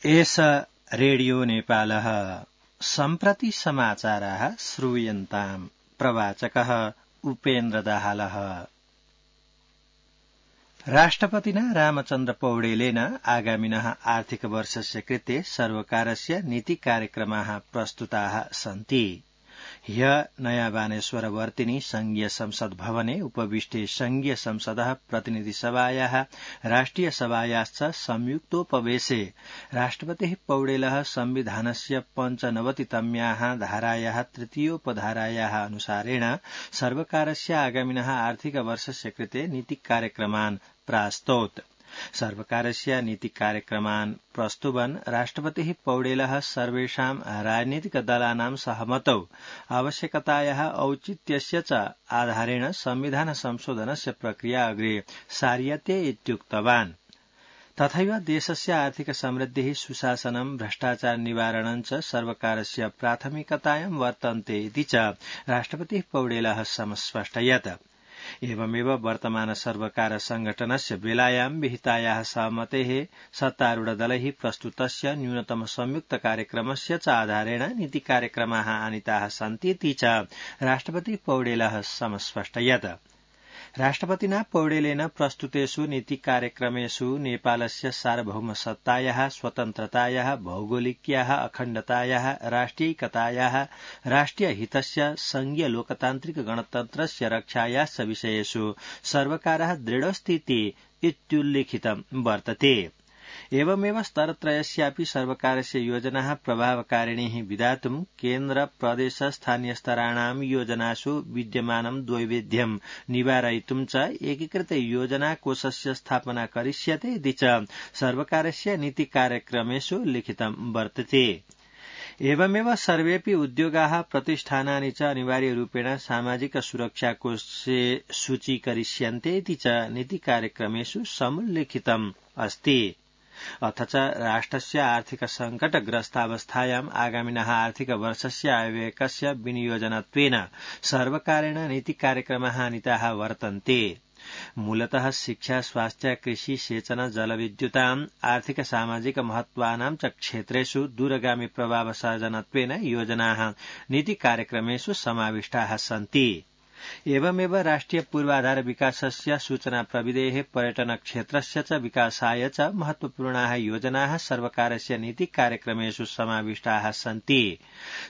एष रेडियो नेपालः सम्प्रति समाचाराः श्रूयन्ताम्। प्रवाचकः उपेन्द्र दाहालः। राष्ट्रपतिना रामचन्द्र पौडेलेन आगामिनः आर्थिक वर्षस्य कृते सर्वकारस्य नीति कार्यक्रमाः प्रस्तुताः सन्ति। ह्यः नयाँ बानेश्वरवर्तिनि संघीय संसद भवने उपविष्टे संघीय संसदः प्रतिनिधिसभायाः राष्ट्रिय सभायाश्च संयुक्तोपवेशे राष्ट्रपतिः पौडेलः संविधानस्य 95तम्याः धारायाः तृतीयोपधारायाः अनुसारेण सर्वकारस्य आगामिनः आर्थिक वर्षस्य कृते नीति कार्यक्रमान् प्रास्तौत्। सर्वकारस्य नीति कार्यक्रमान् प्रस्तुवन् राष्ट्रपतिः पौडेलः सर्वेषां राजनीतिक दलानां सहमतौ आवश्यकतायाः औचित्यस्य च आधारेण संविधान संशोधनस्य प्रक्रिया अग्रे सार्यते इत्युक्तवान्। तथैव देशस्य आर्थिक समृद्धिः सुशासनं भ्रष्टाचार निवारणं च सर्वकारस्य प्राथमिकतायां वर्तन्ते इति च राष्ट्रपतिः पौडेलः समस्पष्टयत्। एवमेव वर्तमान सर्वकार संघटनस्य बेलायां विहितायाः सहमतेः सत्तारूढदलैः प्रस्तुतस्य न्यूनतम संयुक्त कार्यक्रमस्य च आधारेण नीति कार्यक्रमाः आनीताः सन्तीति च राष्ट्रपतिः पौडेलः समस्पष्टयत्। राष्ट्रपतिना पौडेलेन प्रस्तुतेषु नीति कार्यक्रमेषु नेपालस्य सार्वभौमसत्तायाः स्वतन्त्रतायाः भौगोलिक्याः अखण्डतायाः राष्ट्रियैकतायाः राष्ट्रियहितस्य संघीय लोकतान्त्रिक गणतन्त्रस्य रक्षायाश्च विषयेषु सर्वकारः दृढस्थिति इत्युल्लिखितं वर्तते। एवमेव स्तरत्रयस्यापि सर्वकारस्य योजनाः प्रभावकारिणीः विधातुं केन्द्र प्रदेश स्थानीयस्तराणां योजनासु विद्यमानं द्वैविध्यं निवारयितुं च एकीकृत योजनाकोषस्य स्थापना करिष्यते इति च सर्वकारस्य नीति कार्यक्रमेषु लिखितं वर्तते। एवमेव सर्वेऽपि उद्योगाः प्रतिष्ठानानि च अनिवार्यरूपेण सामाजिक सुरक्षाकोषे सूचीकरिष्यन्ते इति च नीति कार्यक्रमेषु समुल्लिखितम् अस्ति। अथ च राष्ट्रस्य आर्थिक संकटग्रस्तावस्थायाम् आगामिनः आर्थिक वर्षस्य आयव्ययस्य विनियोजनत्वेन सर्वकारेण नीति कार्यक्रमाः आनीताः वर्तन्ते। मूलतः शिक्षा स्वास्थ्य कृषि सेचन जलविद्युताम् आर्थिक सामाजिक महत्वानां च क्षेत्रेषु दूरगामी प्रभावसर्जनत्वेन योजनाः नीति कार्यक्रमेषु समाविष्टाः सन्ति। एवमेव राष्ट्रिय पूर्वाधार विकासस्य सूचना प्रविधेः पर्यटन क्षेत्रस्य च विकासाय च महत्वपूर्णाः योजनाः सर्वकारस्य नीति कार्यक्रमेषु समाविष्टाः सन्ति।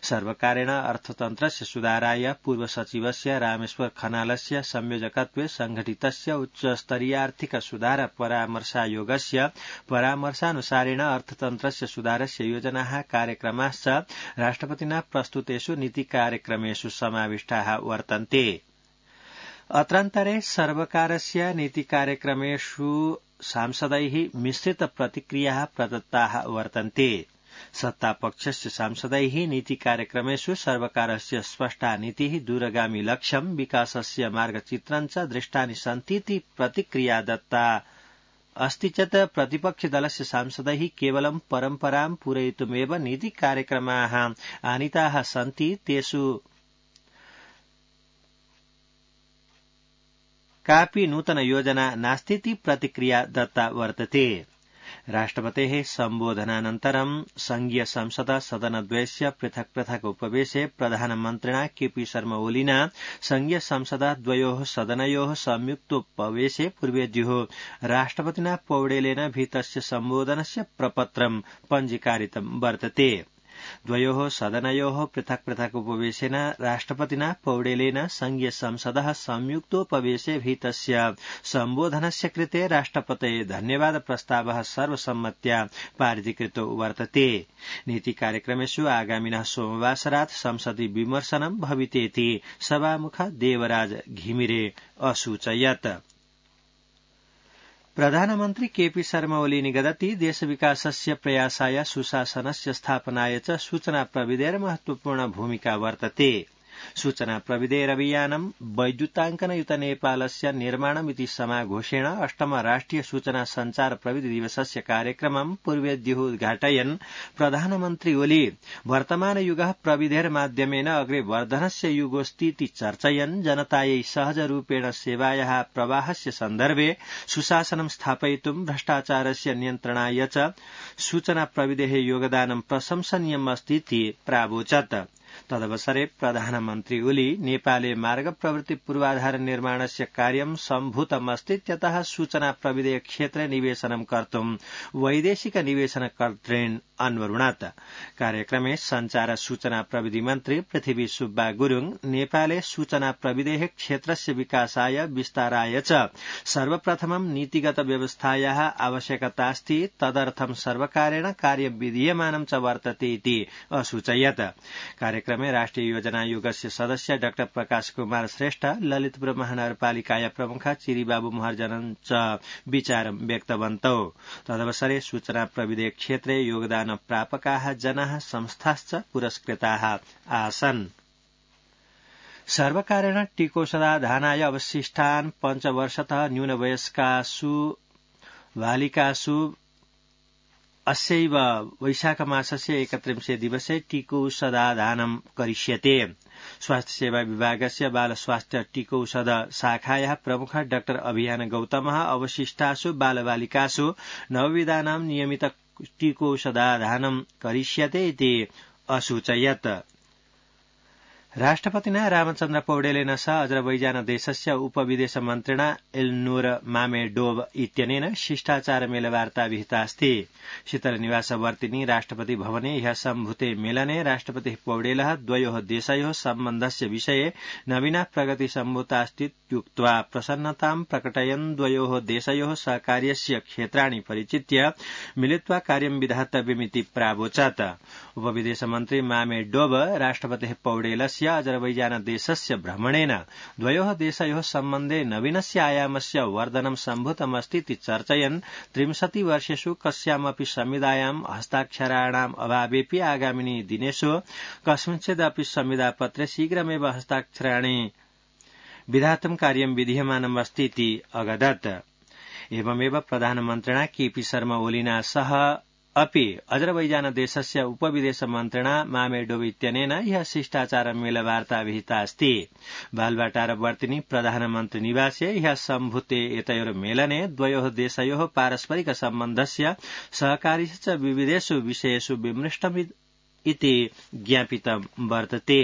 सर्वकारेण अर्थतन्त्रस्य सुधाराय पूर्वसचिवस्य रामेश्वर खनालस्य संयोजकत्वे संघटितस्य उच्चस्तरीयार्थिक सुधार परामर्शायोगस्य परामर्शानुसारेण अर्थतन्त्रस्य सुधारस्य योजनाः कार्यक्रमाश्च राष्ट्रपतिना प्रस्तुतेषु नीति कार्यक्रमेषु समाविष्टाः वर्तन्ते। अत्रान्तरे सर्वकारस्य नीति कार्यक्रमेषु सांसदैः मिश्रित प्रतिक्रियाः प्रदत्ताः वर्तन्ते। सत्तापक्षस्य सांसदैः नीति कार्यक्रमेषु सर्वकारस्य स्पष्टा नीतिः दूरगामी लक्ष्यं विकासस्य मार्गचित्रं च दृष्टानि सन्तीति प्रतिक्रिया दत्ता अस्ति चेत् प्रतिपक्षदलस्य सांसदैः केवलं परम्परां पूरयितुमेव नीति कार्यक्रमाः आनीताः सन्ति, तेषु कापि नूतन योजना नास्तीति प्रतिक्रिया दत्ता वर्तते। राष्ट्रपतेः सम्बोधनानन्तरं संघीय संसद सदनद्वयस्य पृथक् पृथक् उपवेशे प्रधानमन्त्रिणा केपी शर्मा ओलिना संघीय संसद द्वयोः सदनयोः संयुक्तोपवेशे पूर्वेद्युः राष्ट्रपतिना पौडेलेन भीतस्य सम्बोधनस्य प्रपत्रं पञ्जीकारितं वर्तते। द्वयोः सदनयोः पृथक् पृथक् उपवेशेन राष्ट्रपतिना पौडेलेन संघीय संसदः संयुक्तोपवेशे भीतस्य सम्बोधनस्य कृते राष्ट्रपतये धन्यवाद प्रस्तावः सर्वसम्मत्या पारितीकृतो वर्तते। नीति कार्यक्रमेषु आगामिनः सोमवासरात् संसदि विमर्शनं भवितेति सभामुख देवराज घिमिरे असूचयत्। प्रधानमन्त्री केपी शर्मा ओली निगदति देशविकासस्य प्रयासाय सुशासनस्य स्थापनाय च सूचना प्रविधेर महत्वपूर्ण भूमिका वर्तते। सूचना प्रविधेरभियानं वैद्युताङ्कनयुत नेपालस्य निर्माणमिति समाघोषेण अष्टम राष्ट्रिय सूचना संचार प्रविधि दिवसस्य कार्यक्रमं पूर्वेद्युः उद्घाटयन् प्रधानमन्त्री ओली वर्तमानयुगः प्रविधेर्माध्यमेन अग्रे वर्धनस्य युगोऽस्तीति चर्चयन् जनतायै सहजरूपेण सेवायाः प्रवाहस्य सन्दर्भे सुशासनं स्थापयितुं भ्रष्टाचारस्य नियन्त्रणाय च सूचना प्रविधेः योगदानं प्रशंसनीयम् अस्तीति प्रावोचत्। तदवसरे प्रधानमन्त्री ओली नेपाले मार्ग प्रवृत्ति पूर्वाधार निर्माणस्य कार्यं सम्भूतमस्तीत्यतः सूचना प्रविधेय क्षेत्रे निवेशनं कर्तुं वैदेशिक निवेशनकर्तॄन् अन्वरुणत्। कार्यक्रमे संचार सूचना प्रविधि मन्त्री पृथ्वी सुब्बा गुरुङ नेपाले सूचना प्रविधेः क्षेत्रस्य विकासाय विस्ताराय च सर्वप्रथमं नीतिगत व्यवस्थायाः आवश्यकतास्ति तदर्थं सर्वकारेण कार्यं विधीयमानं च वर्तते इति असूचयत्। कार्यक्रमे राष्ट्रिय योजना आयोगस्य सदस्य डाक्टर प्रकाश कुमार श्रेष्ठ ललितपुर महानगरपालिकाया प्रमुख चिरीबाबु महर्जन च विचारं व्यक्तवन्तौ। तदवसरे सूचना प्रविधेय क्षेत्रे योगदान प्रापकाः जनाः संस्थाश्च पुरस्कृताः आसन्। सर्वकारेण टीकोषधानाय अवशिष्टान् 5 वर्षतः न्यूनवयस्कासु बालिकासु अस्यैव वैशाखमासस्य 31 दिवसे टीकोषधानं करिष्यते। स्वास्थ्य सेवा विभागस्य बाल स्वास्थ्य टीकोषध शाखायाः प्रमुख डाक्टर अभियान गौतमः अवशिष्टासु बालबालिकासु नवविधानां नियमित टीकोषधानं करिष्यते इति असूचयत्। राष्ट्रपतिना रामचन्द्र पौडेलेन सह अजरबैजान देशस्य उपविदेश मन्त्रिणा एल्नूर मामेडोव इत्यनेन शिष्टाचार मेलवार्ता विहितास्ति। शीतलनिवासवर्तिनी राष्ट्रपति भवने ह्यः सम्भूते मेलने राष्ट्रपतिः पौडेलः द्वयोः देशयोः सम्बन्धस्य विषये नवीना प्रगति सम्भूतास्तीत्युक्त्वा प्रसन्नतां प्रकटयन् द्वयोः देशयोः सहकार्यस्य क्षेत्राणि परिचित्य मिलित्वा कार्यं विधातव्यमिति प्रावोचत्। उपविदेश मन्त्री मामेडोव राष्ट्रपतिः पौडेलस्य अजरबैजान देशस्य भ्रमणेन द्वयोः देशयोः सम्बन्धे नवीनस्य आयामस्य वर्धनं सम्भूतमस्तीति चर्चयन् 30 वर्षेषु कस्यामपि संविधायां हस्ताक्षराणाम् अभावेऽपि आगामिनि दिनेषु कस्मिंश्चिदपि संविधापत्रे शीघ्रमेव हस्ताक्षराणि विधातुं कार्यं विधीयमानम् अस्तीति अगदत्। एवमेव प्रधानमन्त्रिणा केपी शर्मा ओलिना सह अपि अजरबैजान देशस्य उपविदेश मन्त्रिणा मामेडोव इत्यनेन ह्यः शिष्टाचार मेलवार्ता विहिता अस्ति। बालवाटारवर्तिनी प्रधानमन्त्री निवासे ह्यः सम्भूते एतयोर्मेलने द्वयोः देशयोः पारस्परिक सम्बन्धस्य सहकार्यस्य च विविधेषु विषयेषु विमृष्टमिति ज्ञापितं वर्तते।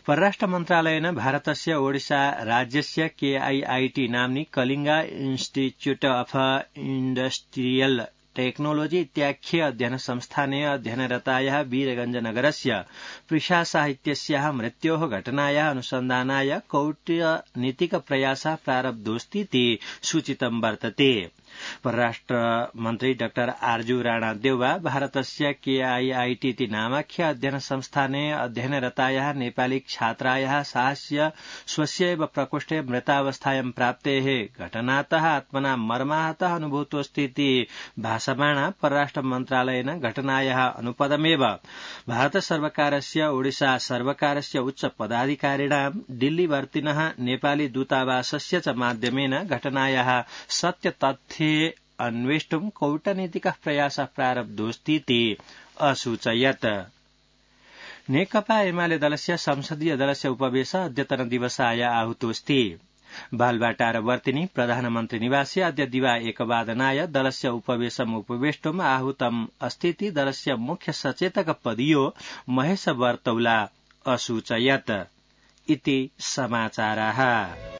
परराष्ट्र मन्त्रालयेन भारतस्य ओडिशा राज्यस्य KIIT नाम्नि कलिंगा इन्स्टिट्यूट अफ इण्डस्ट्रियल टेक्नोलॉजी इत्याख्ये अध्ययन संस्थाने अध्ययनरतायाः वीरगंजनगरस्य प्रिषा साहित्यस्याः मृत्योः घटनायाः अनुसन्धानाय कौटनीतिक प्रयासः प्रारब्धोऽस्तीति सूचितं वर्तते। परराष्ट्र मन्त्री डाक्टर आर्जू राणादेउवा भारतस्य KIIT इति नामाख्य अध्ययन संस्थाने अध्ययनरतायाः नेपाली छात्रायाः साहस्य स्वस्यैव प्रकोष्ठे मृतावस्थायां प्राप्तेः घटनातः आत्मना मर्माहतः अनुभूतोऽस्तीति भाषमाणा परराष्ट्र मन्त्रालयेन घटनायाः अनुपदमेव भारत सर्वकारस्य ओडिशा सर्वकारस्य उच्च पदाधिकारिणां दिल्लीवर्तिनः नेपाली दूतावासस्य च माध्यमेन घटनायाः सत्यतथ्ये अन्वेष्टुं कौटनीतिकः प्रयासः प्रारब्धोऽस्तीति असूचयत्। नेकपा एमाले दलस्य संसदीय दलस्य उपवेशः अद्यतन दिवसाय आहूतोऽस्ति। बालवाटारवर्तिनी प्रधानमन्त्री निवासे अद्य दिवा 1 दलस्य उपवेशम् उपवेष्टुम् आहूतम् अस्तीति दलस्य मुख्य सचेतक पदीयो महेश बर्तौला असूचयत्। इति समाचाराः।